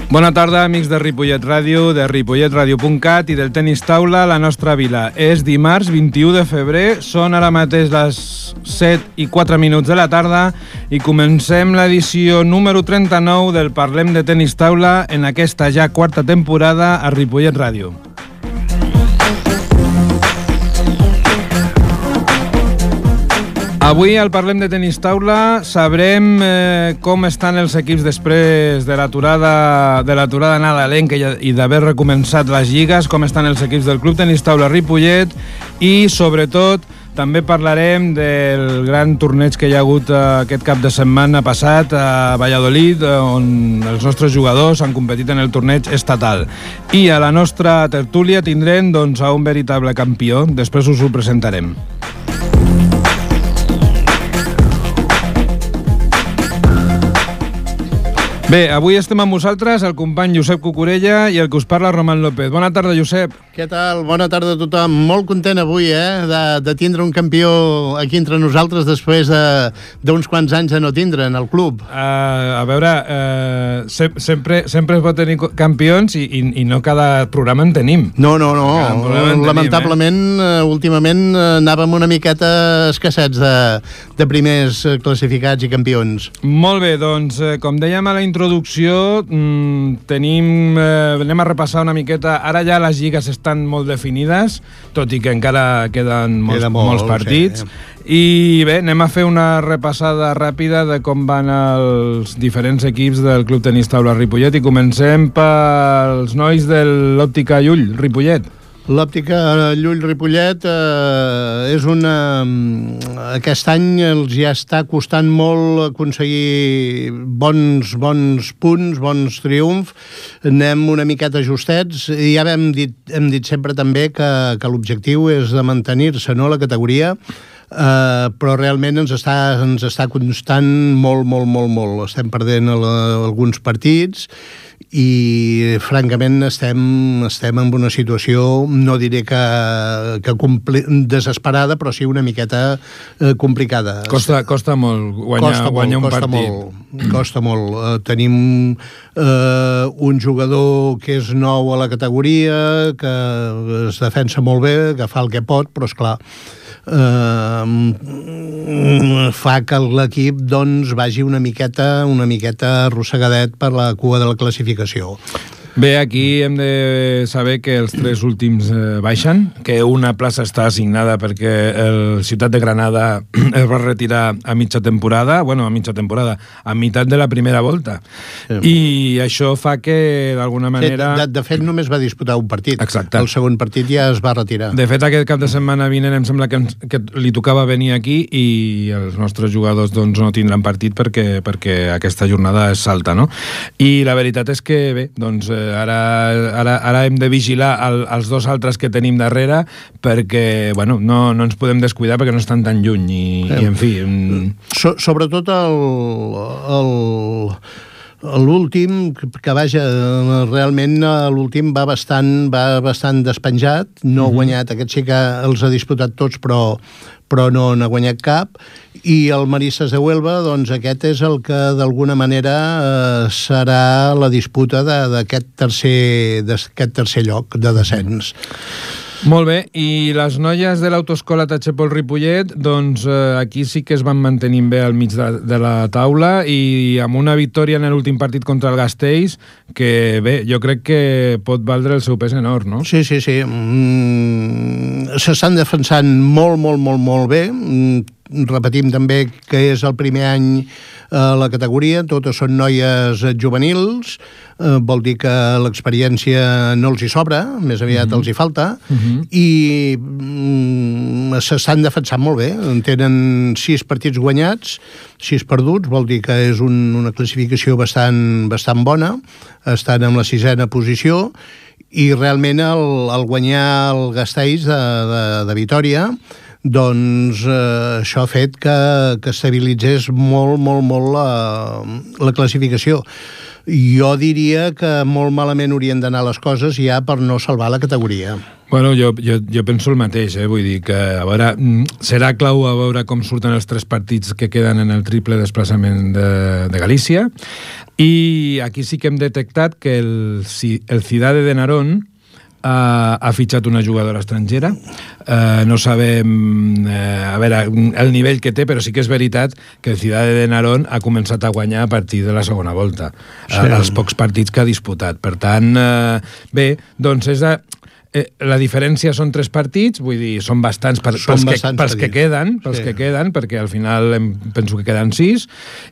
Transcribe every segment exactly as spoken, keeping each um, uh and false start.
Bona tarda, amics de Ripollet Ràdio, de ripollet ràdio punt cat i del tenis taula a la nostra vila. És dimarts vint-i-u de febrer, són ara mateix les set i quatre minuts de la tarda i comencem l'edició número trenta-nou del Parlem de Tenis Taula en aquesta ja quarta temporada a Ripollet Ràdio. Avui al Parlem de Tenis Taula sabrem eh, com estan els equips després de l'aturada de l'aturada nadalenca i d'haver recomençat les lligues, com estan els equips del Club Tenis Taula Ripollet i, sobretot, també parlarem del gran torneig que hi ha hagut aquest cap de setmana passat a Valladolid, on els nostres jugadors han competit en el torneig estatal. I a la nostra tertúlia tindrem doncs, a un veritable campió. Després us ho presentarem. Bé, avui estem amb vosaltres, el company Josep Cucurella i el que us parla, Roman López. Bona tarda, Josep. Què tal? Bona tarda a tothom. Molt content avui, eh, de, de tindre un campió aquí entre nosaltres després d'uns de, quants anys de no tindre en el club. Uh, a veure, uh, se, sempre, sempre es pot tenir campions i, i, i no cada programa en tenim. No, no, no. Tenim, lamentablement, eh? últimament anàvem una miqueta escassets de, de primers classificats i campions. Molt bé, doncs, eh, com dèiem a la introducció, mmm, tenim, eh, anem a repassar una miqueta. Ara ja les lligues estan molt definides, tot i que encara queden molts, Queda molt, molts partits. Sí. I bé, anem a fer una repassada ràpida de com van els diferents equips del Club Tenis Taula Ripollet i comencem pels nois de l'Òptica Llull, Ripollet. L'Òptica Llull Ripollet eh, és una... Aquest any els ja està costant molt aconseguir bons, bons punts, bons triomfs. Anem una miqueta justets i ja hem dit, hem dit sempre també que, que l'objectiu és de mantenir-se, no?, la categoria, Uh, però realment ens està, ens està costant molt, molt, molt, molt. Estem perdent el, alguns partits i francament estem, estem en una situació, no diré que, que compli, desesperada, però sí una miqueta eh, complicada. Costa, costa molt guanyar, costa guanyar molt, un costa partit. Molt, costa molt. Uh, tenim uh, un jugador que és nou a la categoria, que es defensa molt bé, que fa el que pot, però esclar, Uh, fa que l'equip doncs vagi una miqueta una miqueta arrossegadet per la cua de la classificació. Bé, aquí hem de saber que els tres últims eh, baixen, que una plaça està assignada perquè el Ciutat de Granada es va retirar a mitja temporada, bueno, a mitja temporada, a meitat de la primera volta. Sí. I això fa que, d'alguna manera... De, de fet, només va disputar un partit. Exacte. El segon partit ja es va retirar. De fet, aquest cap de setmana vinent em sembla que, que li tocava venir aquí i els nostres jugadors doncs, no tindran partit perquè, perquè aquesta jornada és alta, no? I la veritat és que, bé, doncs... Eh, Ara, ara, ara hem de vigilar el, els dos altres que tenim darrere perquè, bueno, no, no ens podem descuidar perquè no estan tan lluny i, eh, i en fi... So, sobretot el... el... L'últim, que vaja, realment l'últim va bastant, va bastant despenjat, no ha guanyat, aquest sí que els ha disputat tots, però, però no n'ha guanyat cap, i el Maristes de Huelva, doncs aquest és el que d'alguna manera eh, serà la disputa d'aquest tercer, d'aquest tercer lloc de descens. Molt bé, i les noies de l'autoescola Tachepol Ripollet, doncs eh, aquí sí que es van mantenint bé al mig de, de la taula i amb una victòria en l'últim partit contra el Gasteiz, que bé, jo crec que pot valdre el seu pes en or, no? Sí, sí, sí. Mm, s'estan defensant molt, molt, molt, molt bé. Mm, repetim també que és el primer any a la categoria, totes són noies juvenils, eh, vol dir que l'experiència no els hi sobra, més aviat uh-huh. els hi falta, uh-huh. i mm, s'estan defensant molt bé, tenen sis partits guanyats, sis perduts, vol dir que és un, una classificació bastant, bastant bona, estan en la sisena posició, i realment el, el guanyar el Gasteiz de, de, de Vitòria, doncs eh, això ha fet que, que estabilitzés molt, molt, molt la, la classificació. Jo diria que molt malament haurien d'anar les coses ja per no salvar la categoria. Bueno, jo, jo, jo penso el mateix, eh? Vull dir que, a veure, serà clau a veure com surten els tres partits que queden en el triple desplaçament de, de Galícia. I aquí sí que hem detectat que el, el Cidade de Narón ha, ha fitxat una jugadora estrangera. Uh, no sabem uh, a veure, el nivell que té, però sí que és veritat que el Cidade de Narón ha començat a guanyar a partir de la segona volta, sí. uh, els pocs partits que ha disputat. Per tant, uh, bé, doncs és de... Eh, la diferència són tres partits, vull dir, són bastants per, són pels, bastants que, pels que queden, pels sí. que queden, perquè al final em, penso que queden sis,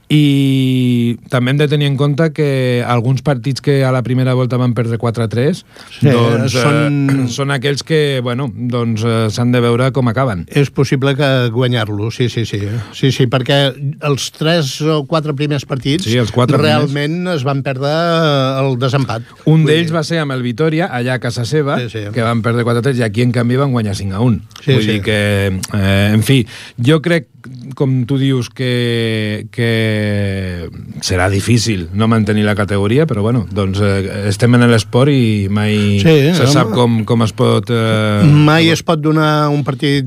i també hem de tenir en compte que alguns partits que a la primera volta van perdre quatre a tres, sí, doncs són... Eh, són aquells que, bueno, doncs eh, s'han de veure com acaben. És possible que guanyar-lo, sí, sí, sí. Sí, sí, perquè els tres o quatre primers partits sí, els quatre realment primers. Es van perdre el desempat. Un d'ells va ser amb el Vitòria, allà a casa seva, sí, sí. que van perdre quatre a tres, i aquí, en canvi, van guanyar cinc a un. Sí, Vull sí. dir que, eh, en fi, jo crec, com tu dius, que, que serà difícil no mantenir la categoria, però, bueno, doncs eh, estem en l'esport i mai sí, se sap com, com es pot... Eh, mai es pot donar un partit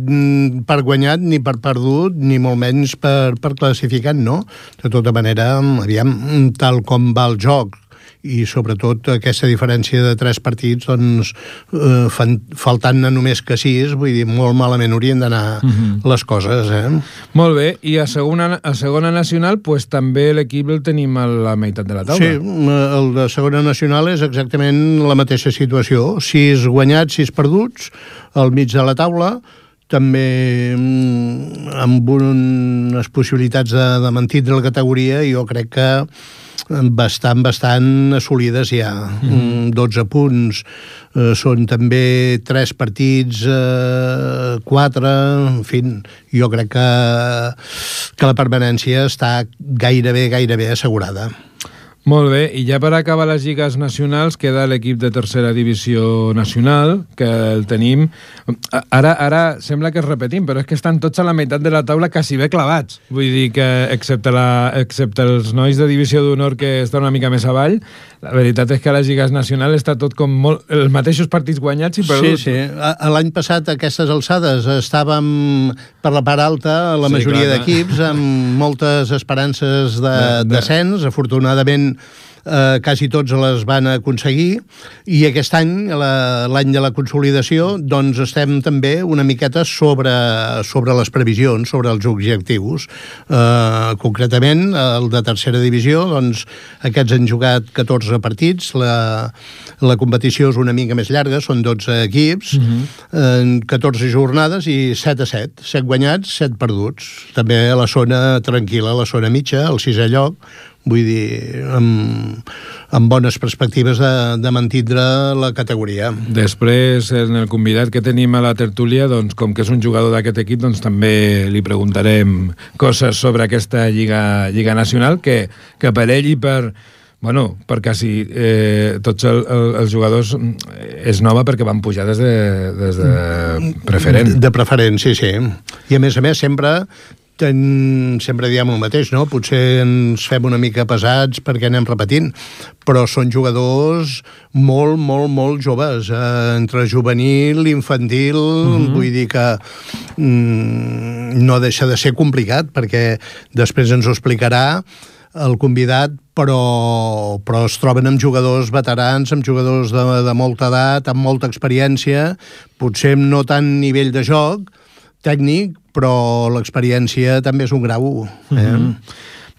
per guanyat, ni per perdut, ni molt menys per, per classificat, no? De tota manera, aviam, tal com va el joc, i sobretot aquesta diferència de tres partits, doncs, eh, fan, faltant-ne només que sis, vull dir, molt malament haurien d'anar uh-huh. les coses, eh? Molt bé, i a segona, a segona nacional, pues, també l'equip el tenim a la meitat de la taula. Sí, el de segona nacional és exactament la mateixa situació, sis guanyats, sis perduts, al mig de la taula, també amb unes possibilitats de, de mantindre la categoria, jo crec que bastant, bastant assolides ja. Mm. dotze punts, eh, són també tres partits, eh, quatre, en fi, jo crec que, que la permanència està gairebé, gairebé assegurada. Molt bé, i ja per acabar les lligues nacionals queda l'equip de tercera divisió nacional, que el tenim... Ara, ara sembla que es repetim, però és que estan tots a la meitat de la taula quasi bé clavats. Vull dir que, excepte, la, excepte els nois de divisió d'honor que estan una mica més avall, la veritat és que a les lligues nacionals està tot com molt... els mateixos partits guanyats i perduts. Sí, sí. L'any passat, a aquestes alçades, estàvem per la part alta, la sí, majoria d'equips, amb moltes esperances de, de descens, afortunadament Eh, quasi tots les van aconseguir, i aquest any, l'any de la consolidació, doncs estem també una miqueta sobre, sobre les previsions, sobre els objectius. Eh, concretament, el de tercera divisió, doncs aquests han jugat catorze partits, la, la competició és una mica més llarga, són dotze equips, uh-huh. en catorze jornades i set a set, set guanyats, set perduts. També a la zona tranquil·la, a la zona mitja, al sisè lloc, vull dir, amb, amb bones perspectives de, de mantindre la categoria. Després, en el convidat que tenim a la tertúlia, doncs, com que és un jugador d'aquest equip, doncs també li preguntarem coses sobre aquesta Lliga, Lliga Nacional, que, que per ell i per... Bueno, per quasi eh, tots el, el, els jugadors és nova perquè van pujar des de, des de preferent. De, de preferent, sí, sí. I a més a més sempre... Ten, sempre diem el mateix, no? Potser ens fem una mica pesats perquè anem repetint, però són jugadors molt, molt, molt joves, eh, entre juvenil, infantil, mm-hmm. vull dir que mm, no deixa de ser complicat, perquè després ens ho explicarà el convidat, però, però es troben amb jugadors veterans, amb jugadors de, de molta edat, amb molta experiència, potser amb no tant nivell de joc tècnic, però l'experiència també és un grau. Eh? Mm-hmm.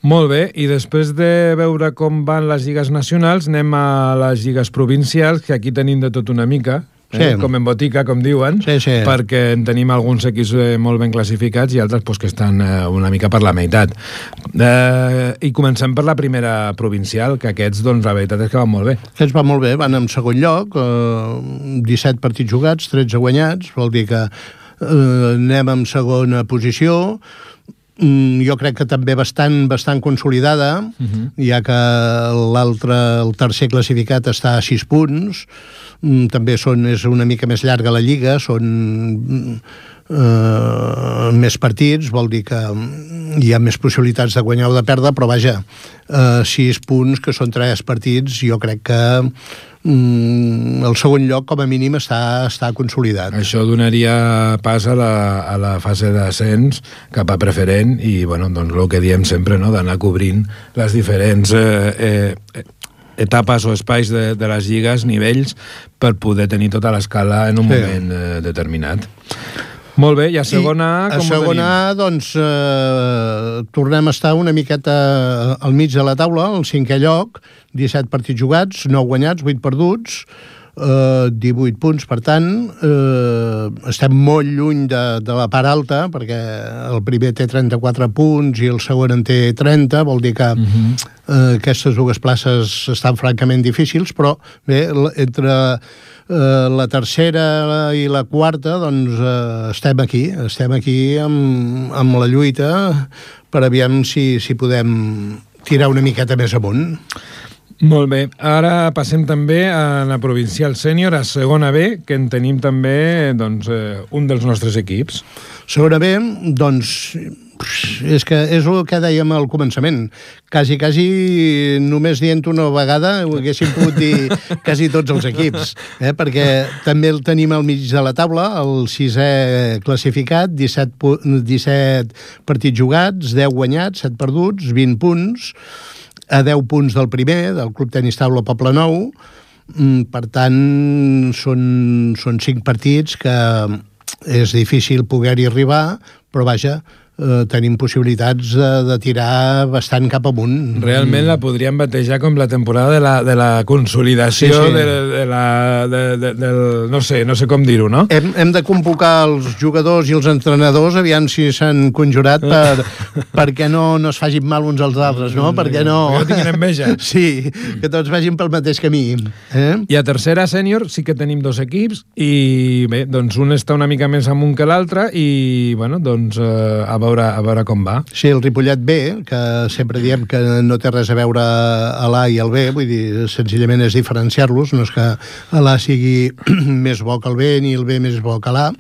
Molt bé, i després de veure com van les lligues nacionals, anem a les lligues provincials, que aquí tenim de tot una mica, eh? Sí. Com en botica, com diuen, sí, sí. perquè en tenim alguns equips molt ben classificats i altres pues, que estan eh, una mica per la meitat. Eh, I comencem per la primera provincial, que aquests, doncs, la veritat és que van molt bé. Aquests van molt bé, van en segon lloc, eh, disset partits jugats, tretze guanyats, vol dir que Uh, anem en segona posició, mm, jo crec que també bastant, bastant consolidada, uh-huh. ja que l'altre, el tercer classificat està a sis punts, mm, també són, és una mica més llarga la lliga, són uh, més partits, vol dir que hi ha més possibilitats de guanyar o de perdre, però vaja, uh, sis punts, que són tres partits, jo crec que el segon lloc, com a mínim, està, està consolidat. Això donaria pas a la, a la fase d'ascens cap a preferent i, bueno, doncs el que diem sempre, no?, d'anar cobrint les diferents eh, eh, etapes o espais de, de les lligues, nivells, per poder tenir tota l'escala en un sí. moment eh, determinat. Molt bé, i a segona A, com a segona A, doncs, eh, tornem a estar una miqueta al mig de la taula, al cinquè lloc, disset partits jugats, nou guanyats, vuit perduts, eh, divuit punts, per tant, eh, estem molt lluny de, de la part alta, perquè el primer té trenta-quatre punts i el segon en té trenta, vol dir que uh-huh. eh, aquestes dues places estan francament difícils, però bé, entre... Uh, la tercera i la quarta, doncs uh, estem aquí, estem aquí amb, amb la lluita per aviam si, si podem tirar una miqueta més amunt. Molt bé, ara passem també a la provincial sènior, a segona B, que en tenim també doncs, eh, un dels nostres equips. Segona B, doncs, és que és el que dèiem al començament. Quasi, quasi, només dient una vegada ho haguéssim pogut dir quasi tots els equips, eh? Perquè també el tenim al mig de la taula, el sisè classificat, disset, disset partits jugats, deu guanyats, set perduts, vint punts, a deu punts del primer, del Club Tenis Taula Poble Nou. Per tant, són, són cinc partits que és difícil poder-hi arribar, però vaja, eh, tenim possibilitats de, de tirar bastant cap amunt. Realment la podríem batejar com la temporada de la, de la consolidació sí, sí. De, de la... De, de, del, no sé, no sé com dir-ho, no? Hem, hem de convocar els jugadors i els entrenadors, aviam si s'han conjurat per, perquè no, no es facin mal uns als altres, no? Perquè no... Perquè no tinguin enveja. Sí, que tots vagin pel mateix camí. Eh? I a tercera sènior sí que tenim dos equips i bé, doncs un està una mica més amunt que l'altre i, bueno, doncs eh, a veure, a veure com va. Sí, el Ripollet B, que sempre diem que no té res a veure a l'A i el B, vull dir, senzillament és diferenciar-los, no és que l'A sigui més bo que el B ni el B més bo que l'A,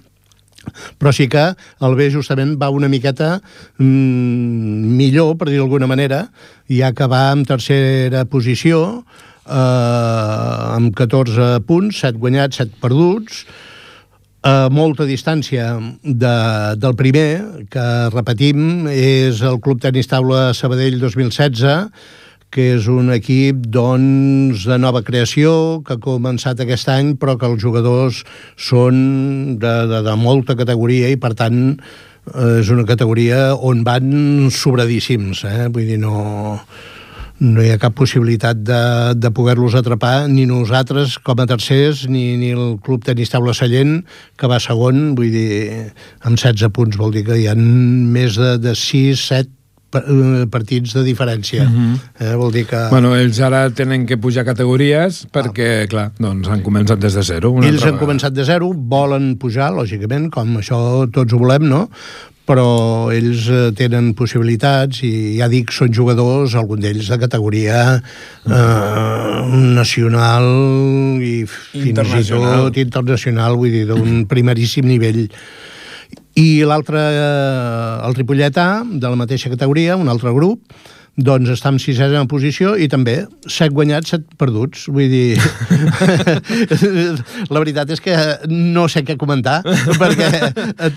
però sí que el B justament va una miqueta mmm, millor, per dir d'alguna manera, ja que va en tercera posició, eh, amb catorze punts, set guanyats, set perduts, a molta distància de, del primer, que repetim, és el Club Tenis Taula Sabadell dos mil setze, que és un equip doncs, de nova creació, que ha començat aquest any, però que els jugadors són de, de, de molta categoria i, per tant, és una categoria on van sobradíssims. Eh? Vull dir, no... no hi ha cap possibilitat de, de poder-los atrapar, ni nosaltres com a tercers, ni, ni el Club Tenis Taula Sallent, que va segon, vull dir, amb setze punts, vol dir que hi ha més de, de sis, set partits de diferència. Uh-huh. eh, vol dir que... Bueno, ells ara tenen que pujar categories perquè, ah. clar, doncs han començat des de zero. Ells han començat de zero, volen pujar, lògicament, com això tots ho volem, no? Però ells tenen possibilitats i ja dic, són jugadors, alguns d'ells de categoria eh, nacional i fins i tot internacional, vull dir, d'un primeríssim nivell. I l'altre, el Ripollet A, de la mateixa categoria, un altre grup, doncs està en sisena posició i també set guanyats, set perduts. Vull dir, la veritat és que no sé què comentar, perquè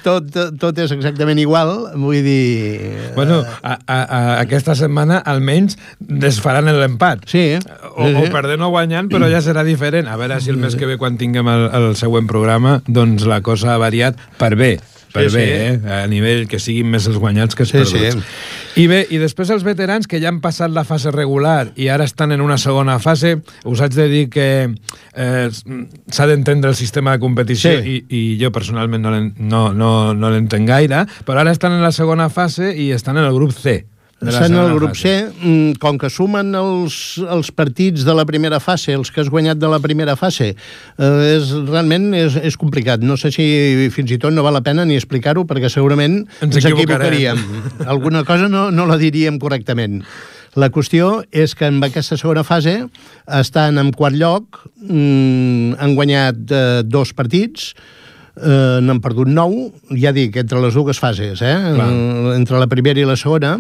tot, tot és exactament igual. Vull dir... Bueno, a, a, a aquesta setmana almenys desfaran l'empat. Sí. O, o perdent o guanyant, però ja serà diferent. A veure si el mes que ve, quan tinguem el, el següent programa, doncs la cosa ha variat per bé. Per sí, bé, sí. eh? A nivell que siguin més els guanyats que els sí, perduts. Sí. I bé, i després els veterans que ja han passat la fase regular i ara estan en una segona fase, us haig de dir que eh, s'ha d'entendre el sistema de competició sí. i, i jo personalment no l'entenc no, no, no l'entenc gaire, però ara estan en la segona fase i estan en el grup C. Estan en el grup C, com que sumen els, els partits de la primera fase, els que has guanyat de la primera fase, eh, és, realment és, és complicat. No sé si fins i tot no val la pena ni explicar-ho, perquè segurament ens, ens equivocaríem. Alguna cosa no, no la diríem correctament. La qüestió és que en aquesta segona fase estan en quart lloc, mm, han guanyat eh, dos partits, eh, n'han perdut nou, ja dic, entre les dues fases, eh? Entre la primera i la segona,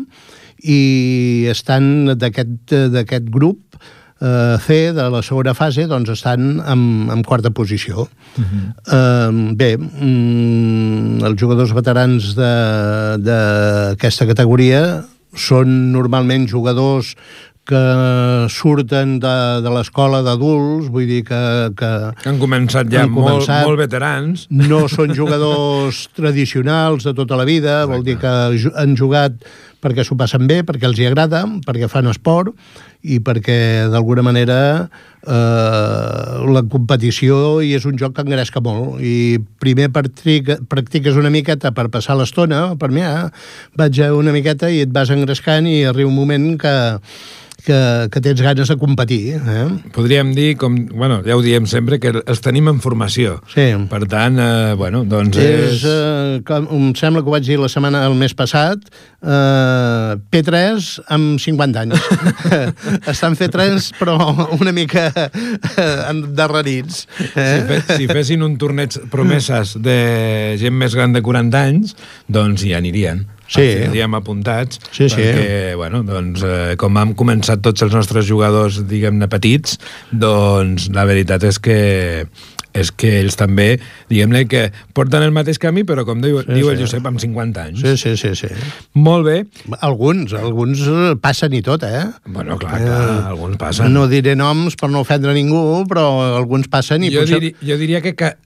i estan d'aquest d'aquest grup eh, C de la segona fase, doncs estan en, en quarta posició. Uh-huh. eh, bé, mm, els jugadors veterans d'aquesta categoria són normalment jugadors que surten de, de l'escola d'adults, vull dir que... Que, que han començat ja han molt, començat, molt veterans. No són jugadors tradicionals de tota la vida. Exacte. Vol dir que han jugat perquè s'ho passen bé, perquè els hi agrada, perquè fan esport i perquè d'alguna manera eh, la competició i és un joc que engresca molt. I primer practiques una miqueta per passar l'estona, per mi, eh? vaig una miqueta i et vas engrescant i arriba un moment que Que, que tens ganes de competir. Eh? Podríem dir, com, bueno, ja ho diem sempre, que els tenim en formació. Sí. Per tant, eh, bueno, doncs és... és eh, com, em sembla que ho vaig dir la setmana, el mes passat, eh, P tres amb cinquanta anys. Estan P tres, però una mica eh, endarrerits. Eh? Si, fe, si fessin un torneig promeses de gent més gran de quaranta anys, doncs hi anirien. Sí. Els tindríem apuntats, sí, sí. perquè, bueno, doncs, eh, com hem començat tots els nostres jugadors, diguem-ne, petits, doncs la veritat és que és que ells també, diguem-ne, que porten el mateix camí, però com diu, sí, diu el sí. Josep, amb cinquanta anys. Sí, sí, sí, sí. Molt bé. Alguns, alguns passen i tot, eh? Bueno, clar, clar, eh, alguns passen. No diré noms per no ofendre ningú, però alguns passen i jo potser... Diri, jo diria que, que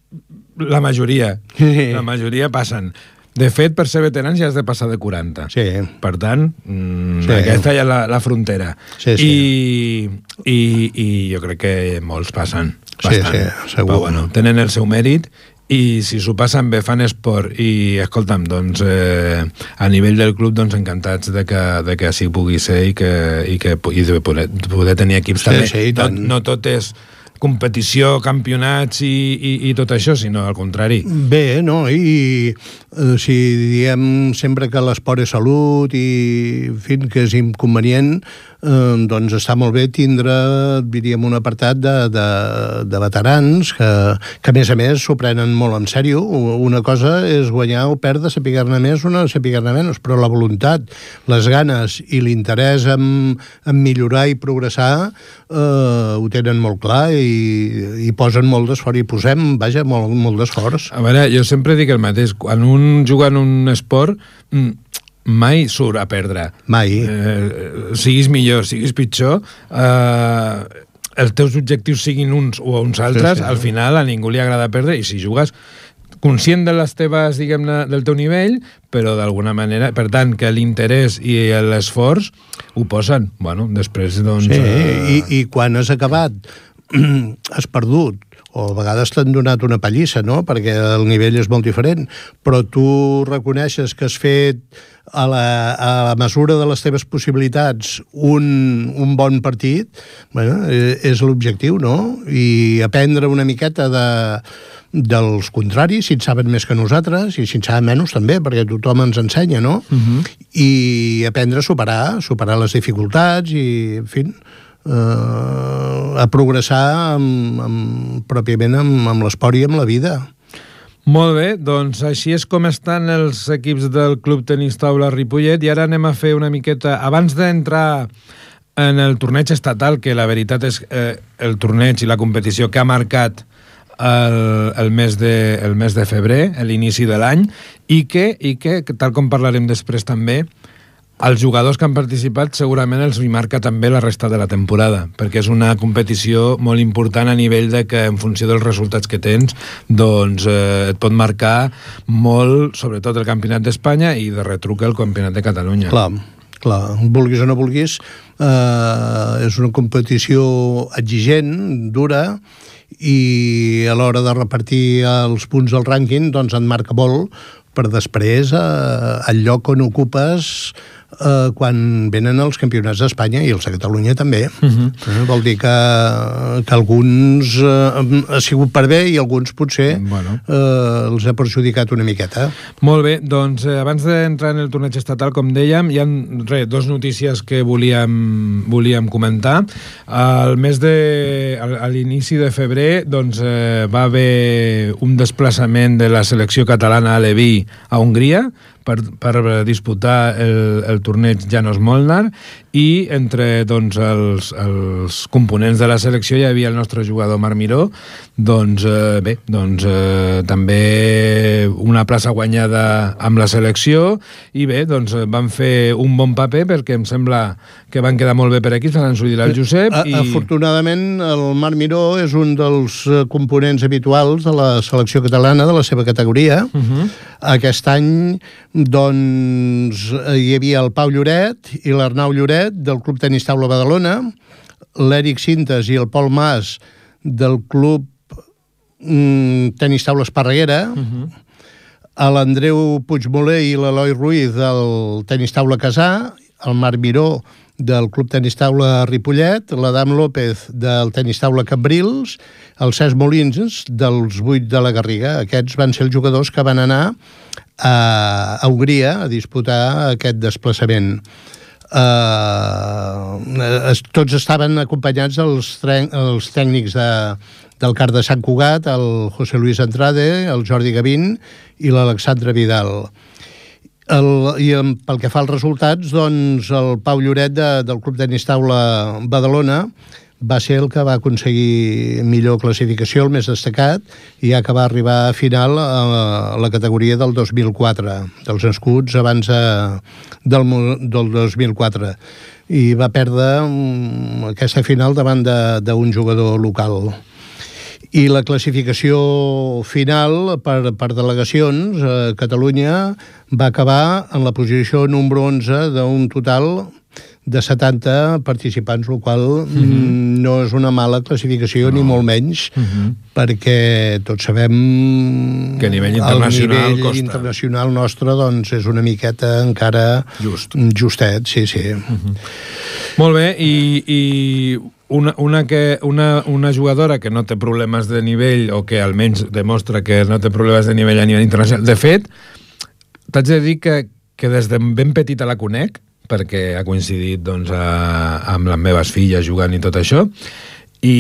la majoria, sí. la majoria passen. De fet, per ser veterans ja has de passar de quaranta. Sí. Per tant, mmm, sí. aquesta ja és la, la frontera. Sí, sí. I, i, I jo crec que molts passen bastant. Sí, sí, segur. Però, bueno, tenen el seu mèrit i si s'ho passen bé, fan esport i, escolta'm, doncs, eh, a nivell del club, doncs, encantats de que, de que així pugui ser i que, i que i de poder, poder tenir equips sí, també. Sí, no, no tot és competició, campionats i, i, i tot això, sinó al contrari. Bé, no? I eh, si diem sempre que l'esport és salut i, en fi, que és inconvenient, eh, doncs està molt bé tindre, diríem, un apartat de, de, de veterans que, que, a més a més, s'ho prenen molt en sèrio. Una cosa és guanyar o perdre, saber-ne més, una saber-ne menys, però la voluntat, les ganes i l'interès en, en millorar i progressar eh, ho tenen molt clar i i posen molt d'esforç, i posem, vaja, molt, molt d'esforç. A veure, jo sempre dic el mateix, quan un juga en un esport, mai surt a perdre. Mai. Eh, siguis millor, siguis pitjor, eh, els teus objectius siguin uns o uns altres, sí, sí. Al final a ningú li agrada perdre, i si jugues conscient de les teves, diguem-ne, del teu nivell, però d'alguna manera, per tant, que l'interès i l'esforç ho posen. Bueno, després, doncs... Sí, eh... i, i quan has acabat has perdut, o a vegades t'han donat una pallissa, no?, perquè el nivell és molt diferent, però tu reconeixes que has fet a la, a la mesura de les teves possibilitats un, un bon partit, bueno, és l'objectiu, no?, i aprendre una miqueta de dels contraris, si en saben més que nosaltres, i si en saben menys també, perquè tothom ens ensenya, no? Uh-huh. I aprendre a superar, superar les dificultats i, en fi, eh, a progressar amb, amb, pròpiament amb, amb l'esport i amb la vida. Molt bé, doncs així és com estan els equips del Club Tenis Taula Ripollet, i ara anem a fer una miqueta, abans d'entrar en el torneig estatal, que la veritat és eh, el torneig i la competició que ha marcat El, el, mes de, el mes de febrer, l'inici de l'any, i que, i que, tal com parlarem després també, els jugadors que han participat segurament els hi marca també la resta de la temporada, perquè és una competició molt important a nivell de que en funció dels resultats que tens, doncs eh, et pot marcar molt, sobretot el Campionat d'Espanya i de retruc el Campionat de Catalunya. Clar, clar, vulguis o no vulguis, eh, és una competició exigent, dura, i a l'hora de repartir els punts del rànquing doncs en marca molt per després eh, el lloc on ocupes eh, quan venen els campionats d'Espanya i els de Catalunya també. Uh-huh. eh, vol dir que, que alguns eh, ha sigut per bé i alguns potser bueno. eh, els ha perjudicat una miqueta. Molt bé, doncs eh, abans d'entrar en el torneig estatal, com dèiem, hi ha re, dos notícies que volíem, volíem comentar. Al mes de, a l'inici de febrer doncs, eh, va haver un desplaçament de la selecció catalana a Leví a Hongria per, per disputar el, el torneig Janos Molnar, i entre doncs, els, els components de la selecció hi havia el nostre jugador Marc Miró, doncs eh, bé, doncs eh, també una plaça guanyada amb la selecció i bé, doncs van fer un bon paper perquè em sembla que van quedar molt bé per aquí, se l'han sortit el Josep. A, i... Afortunadament, el Marc Miró és un dels components habituals de la selecció catalana, de la seva categoria. Uh-huh. Aquest any, doncs, hi havia el Pau Lloret i l'Arnau Lloret del Club Tenis Taula Badalona, l'Eric Cintes i el Pol Mas del Club mm, Tenis Taula Esparreguera, uh-huh. l'Andreu Puigmoler i l'Eloi Ruiz del Tenis Taula Casà, el Marc Miró del Club Tenis Taula Ripollet, l'Adam López del Tenis Taula Cambrils, el Cesc Molins dels vuit de la Garriga. Aquests van ser els jugadors que van anar a, a Hongria a disputar aquest desplaçament. Uh, tots estaven acompanyats dels els tècnics de, del CAR de Sant Cugat, el José Luis Andrade, el Jordi Gavín i l'Alexandre Vidal. El, I pel que fa als resultats, doncs el Pau Lloret de, del Club Tenis Taula Badalona va ser el que va aconseguir millor classificació, el més destacat, i ja que va arribar a final a la categoria del dos mil quatre, dels nascuts abans de, del, del dos mil quatre. I va perdre um, aquesta final davant d'un jugador local. I la classificació final per, per delegacions a Catalunya va acabar en la posició número onze d'un total de setanta participants, el qual uh-huh. no és una mala classificació, no. Ni molt menys, uh-huh. perquè tots sabem que a nivell internacional, el nivell internacional nostre doncs, és una miqueta encara Just. justet, sí, sí. Uh-huh. Molt bé, i, i una, una, que, una, una jugadora que no té problemes de nivell, o que almenys demostra que no té problemes de nivell a nivell internacional. De fet, t'haig de dir que, que des de ben petita la conec, perquè ha coincidit doncs, a, amb les meves filles jugant i tot això, i,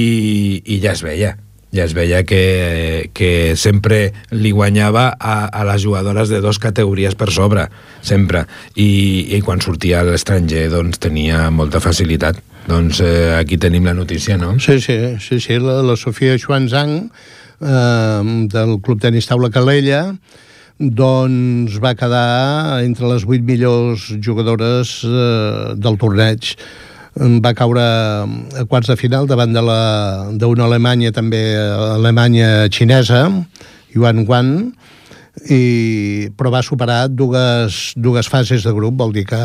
i ja es veia, ja es veia que, que sempre li guanyava a, a les jugadores de dos categories per sobre, sempre, i, i quan sortia a l'estranger doncs, tenia molta facilitat. Doncs eh, aquí tenim la notícia, no? Sí, sí, sí, sí. La, la Sofia Xuanzang, eh, del Club Tenis Taula Calella, doncs va quedar entre les vuit millors jugadores eh, del torneig. Va caure a quarts de final davant de la d'una Alemanya, també Alemanya xinesa, Yuan Guan, i, però va superar dues, dues fases de grup, vol dir que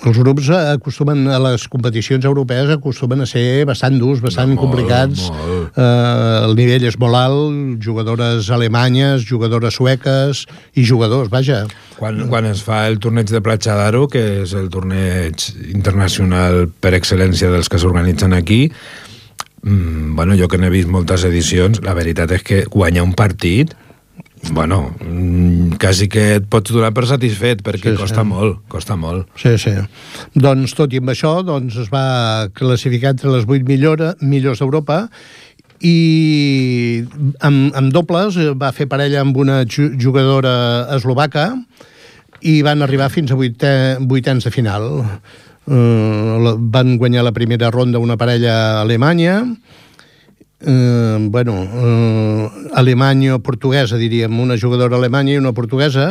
els grups acostumen, a les competicions europees acostumen a ser bastant durs, bastant no, complicats. Molt. Eh, el nivell és molt alt, jugadores alemanyes, jugadores sueques i jugadors, vaja. Quan, quan es fa el torneig de Platja d'Aro, que és el torneig internacional per excel·lència dels que s'organitzen aquí, mmm, bueno, jo que n'he vist moltes edicions, la veritat és que guanyar un partit, bueno, quasi que et pots donar per satisfet, perquè sí, costa sí. molt, costa molt. Sí, sí. Doncs tot i amb això, doncs es va classificar entre les vuit millora, millors d'Europa, i amb, amb dobles va fer parella amb una jugadora eslovaca i van arribar fins a vuitè, vuitens de final. Uh, van guanyar la primera ronda una parella alemanya, Uh, bueno, uh, alemanya-portuguesa, diríem, una jugadora alemanya i una portuguesa,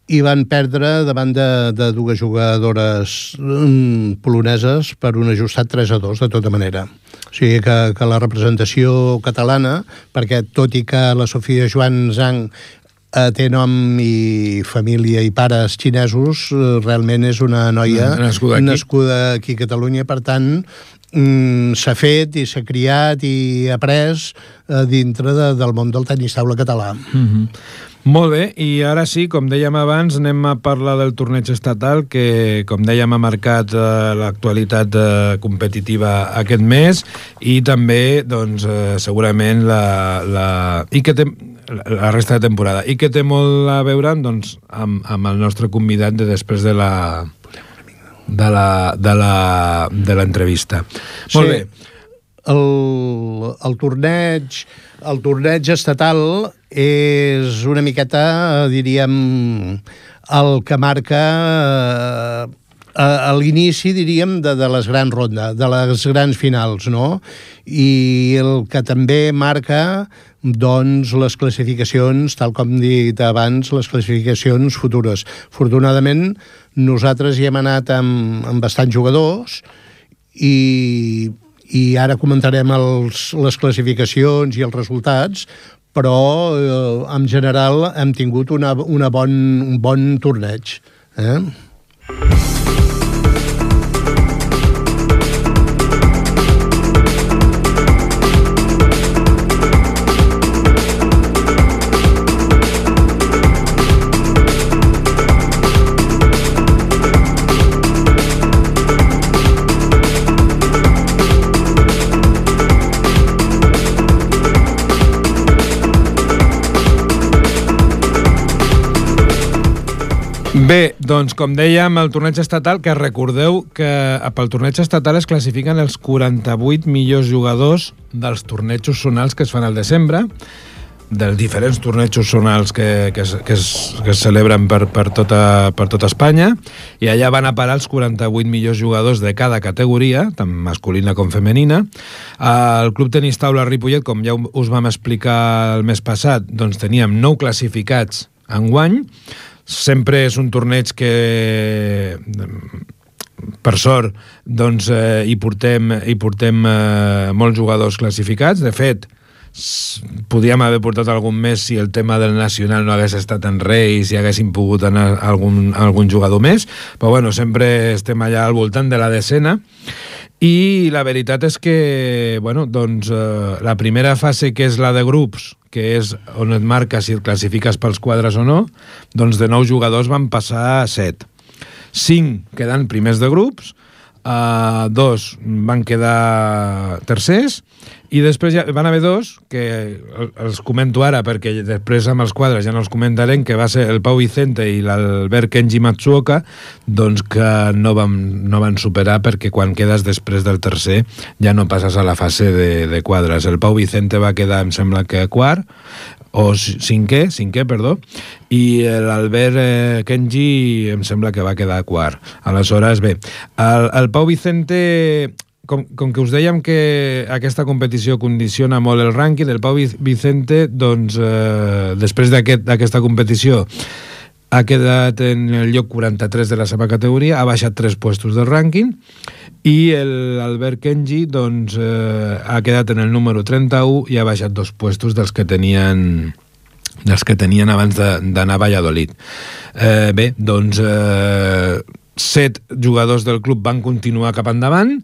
i van perdre davant de, de dues jugadores um, poloneses per un ajustat tres a dos, de tota manera. O sigui que, que la representació catalana, perquè tot i que la Sofia Xuanzang eh, té nom i família i pares xinesos, eh, realment és una noia nascuda aquí, nascuda aquí a Catalunya, per tant Mm, s'ha fet i s'ha criat i après eh, dintre de, del món del tenis taula català. Mm-hmm. Molt bé, i ara sí, com dèiem abans, anem a parlar del torneig estatal que, com dèiem, ha marcat eh, l'actualitat eh, competitiva aquest mes, i també, doncs, eh, segurament la, la, i que té, la resta de temporada, i que té molt a veure, doncs, amb, amb el nostre convidat de després de la de la de la de l'entrevista. Sí, molt bé. El, el torneig el torneig estatal és una miqueta, diríem, el que marca a, a l'inici, diríem, de, de les grans rondes, de les grans finals, no? I el que també marca, doncs, les classificacions, tal com he dit abans, les classificacions futures. Afortunadament, nosaltres hi hem anat amb, amb bastants jugadors i, i ara comentarem els, les classificacions i els resultats, però eh, en general hem tingut una, una bon, un bon torneig. Eh? Bé, doncs com dèiem, el torneig estatal, que recordeu que pel torneig estatal es classifiquen els quaranta-vuit millors jugadors dels tornejos zonals que es fan al desembre, dels diferents tornejos zonals que, que, es, que, es, que es celebren per, per, tota, per tota Espanya, i allà van a parar els quaranta-vuit millors jugadors de cada categoria, tant masculina com femenina. El Club Tenis Taula Ripollet, com ja us vam explicar el mes passat, doncs teníem nou classificats enguany. Sempre és un torneig que, per sort, doncs, eh, hi portem, hi portem eh, molts jugadors classificats. De fet, podíem haver portat algun més si el tema del nacional no hagués estat en Reis i haguéssim pogut anar algun, algun jugador més, però bueno, sempre estem allà al voltant de la decena. I la veritat és que, bueno, doncs, eh, la primera fase, que és la de grups, que és on et marca si et classifiques pels quadres o no, doncs de nou jugadors van passar a set. Cinc quedant primers de grups, eh, dos van quedar tercers, i després ja van haver dos, que els comento ara perquè després amb els quadres ja no els comentarem, que va ser el Pau Vicente i l'Albert Kenji Matsuoka, doncs que no van, no van superar, perquè quan quedes després del tercer ja no passes a la fase de, de quadres. El Pau Vicente va quedar, em sembla que quart, o cinquè, cinquè, perdó, i l'Albert eh, Kenji em sembla que va quedar quart. Aleshores, bé, el, el Pau Vicente... Com, com que us dèiem que aquesta competició condiciona molt el rànquing, el Pau Vicente, doncs, eh, després d'aquesta aquest, competició, ha quedat en el lloc quaranta-tres de la seva categoria, ha baixat tres puestos del rànquing, i l'Albert Kenji, doncs, eh, ha quedat en el número trenta-u i ha baixat dos puestos dels que tenien... dels que tenien abans d'anar a Valladolid. Eh, bé, doncs... Eh, set jugadors del club van continuar cap endavant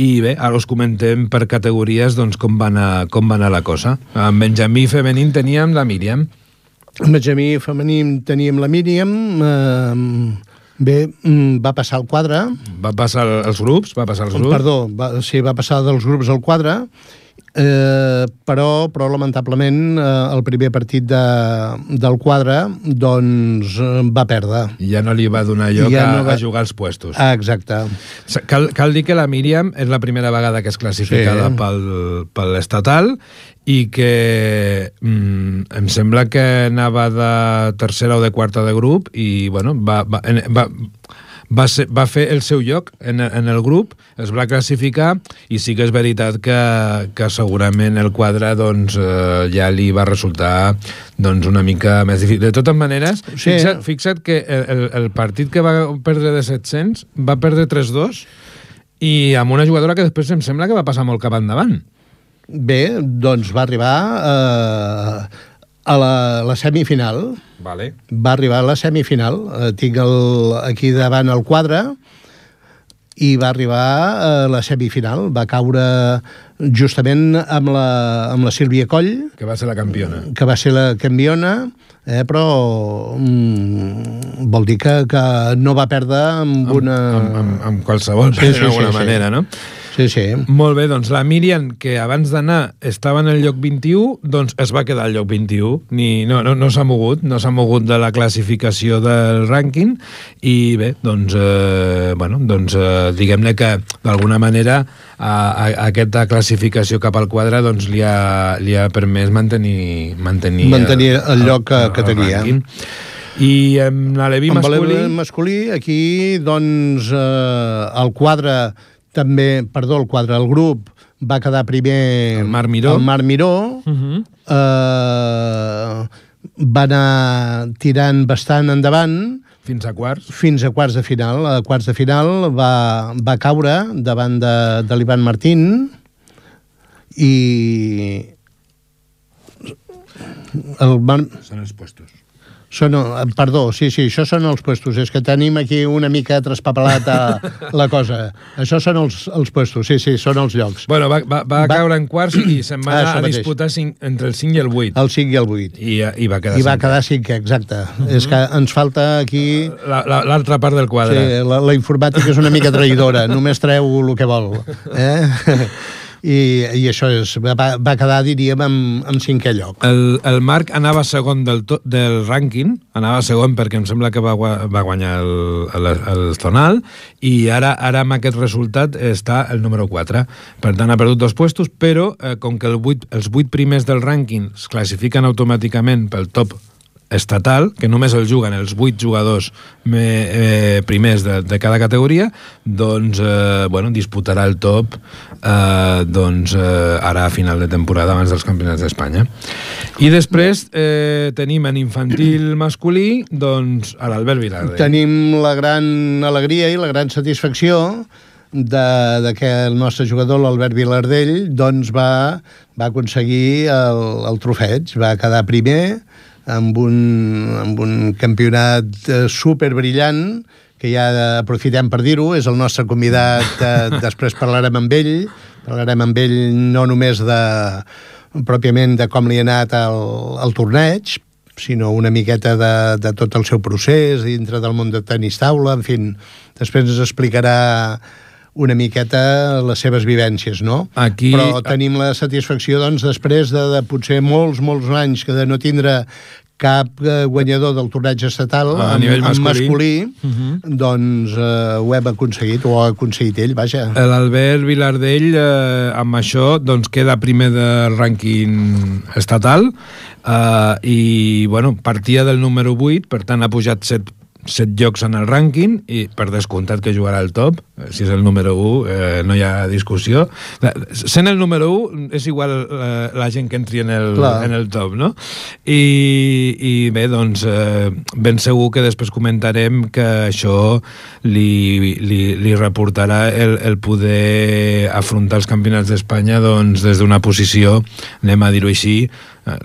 i bé, ara us comentem per categories doncs, com, va anar, com va anar la cosa. En Benjamí femení teníem la Míriam. En Benjamí femení teníem la Míriam. Eh, bé, va passar al quadre. Va passar als grups? Va passar als grups? Perdó, va, sí, va passar dels grups al quadre. Eh, però, però lamentablement eh, el primer partit de, del quadre doncs va perdre. Ja no li va donar lloc ja a, no va... a jugar als puestos. Ah, exacte. Cal, cal dir que la Míriam és la primera vegada que és classificada sí. pel, pel estatal i que mm, em sembla que anava de tercera o de quarta de grup i bueno, va... va, va Va, ser, va fer el seu lloc en, en el grup, es va classificar i sí que és veritat que, que segurament el quadre doncs, eh, ja li va resultar doncs, una mica més difícil. De totes maneres, sí. fixa't, fixa't que el, el partit que va perdre de set-cents va perdre tres dos i amb una jugadora que després em sembla que va passar molt cap endavant. Bé, doncs va arribar eh, a la, la semifinal. Vale. Va arribar a la semifinal. Eh, tinc el, aquí davant el quadre i va arribar a la semifinal. Va caure justament amb la, amb la Sílvia Coll. Que va ser la campiona. Que va ser la campiona, eh, però mm, vol dir que, que no va perdre amb, amb una... Amb, amb, amb qualsevol, sí, sí, d'alguna sí, manera, sí. no? Sí, sí. Molt bé, doncs la Míriam, que abans d'anar estava en el lloc vint-i-u, doncs es va quedar al lloc vint-i-u. Ni, no no, no s'ha mogut, no s'ha mogut de la classificació del rànquing i bé, doncs, eh, bueno, doncs eh, diguem-ne que d'alguna manera a, a, aquesta classificació cap al quadre doncs, li, ha, li ha permès mantenir, mantenir, mantenir el, el lloc que, que tenia. Rànquing. I en l'aleví masculí... En masculí, aquí, doncs, eh, el quadre també, perdó, el quadre, el grup va quedar primer... El Marc Miró. El Marc Miró. Uh-huh. eh, va anar tirant bastant endavant. Fins a quarts. Fins a quarts de final. A quarts de final va, va caure davant de, de l'Ivan Martín i... El Mar... Són els puestos. Són, perdó, sí, sí, això són els puestos. És que tenim aquí una mica traspapelat la cosa. Això són els, els puestos, sí, sí, són els llocs. Bueno, va, va, va, va caure en quarts i se'n va anar ah, a disputar cinc, entre el cinc i el vuit. El cinc i el vuit. I, i va quedar I va cinc. quedar cinc, exacte. Uh-huh. És que ens falta aquí... L'altra part del quadre. Sí, la, la informàtica és una mica traïdora, només treu el que vol. Eh? I, i això és, va, va quedar, diríem, amb, amb cinquè lloc. El, el Marc anava segon del, to, del rànquing, anava segon perquè em sembla que va, va guanyar el, el, el Zonal, i ara, ara amb aquest resultat està el número quatre. Per tant, ha perdut dos puestos, però eh, com que el vuit, els vuit primers del rànquing es classifiquen automàticament pel top estatal, que només el juguen els vuit jugadors me, eh, primers de, de cada categoria, doncs eh, bueno, disputarà el top eh, doncs, eh, ara a final de temporada abans dels campionats d'Espanya. I després eh, tenim en infantil masculí doncs a l'Albert Vilardell. Tenim la gran alegria i la gran satisfacció de, de que el nostre jugador, l'Albert Vilardell, doncs va, va aconseguir el, el trofeig, va quedar primer amb un, amb un campionat superbrillant, que ja aprofitem per dir-ho, és el nostre convidat, eh, després parlarem amb ell, parlarem amb ell no només de, pròpiament de com li ha anat el, el torneig, sinó una miqueta de, de tot el seu procés dintre del món de tenis taula, en fi, després ens explicarà una miqueta les seves vivències, no? Aquí... Però tenim la satisfacció, doncs, després de, de potser molts, molts anys que de no tindre cap eh, guanyador del torneig estatal a amb, nivell masculí, amb masculí uh-huh. doncs eh, ho hem aconseguit, o ha aconseguit ell, vaja. L'Albert Vilardell, eh, amb això, doncs queda primer del rànquing estatal eh, i, bueno, partia del número vuit, per tant ha pujat set set llocs en el rànquing i per descomptat que jugarà al top, si és el número u eh, no hi ha discussió. Sent el número u és igual eh, la gent que entri en el, en el top, no? I, i bé, doncs eh, ben segur que després comentarem que això li, li, li reportarà el, el poder afrontar els campionats d'Espanya doncs, des d'una posició, anem a dir-ho així,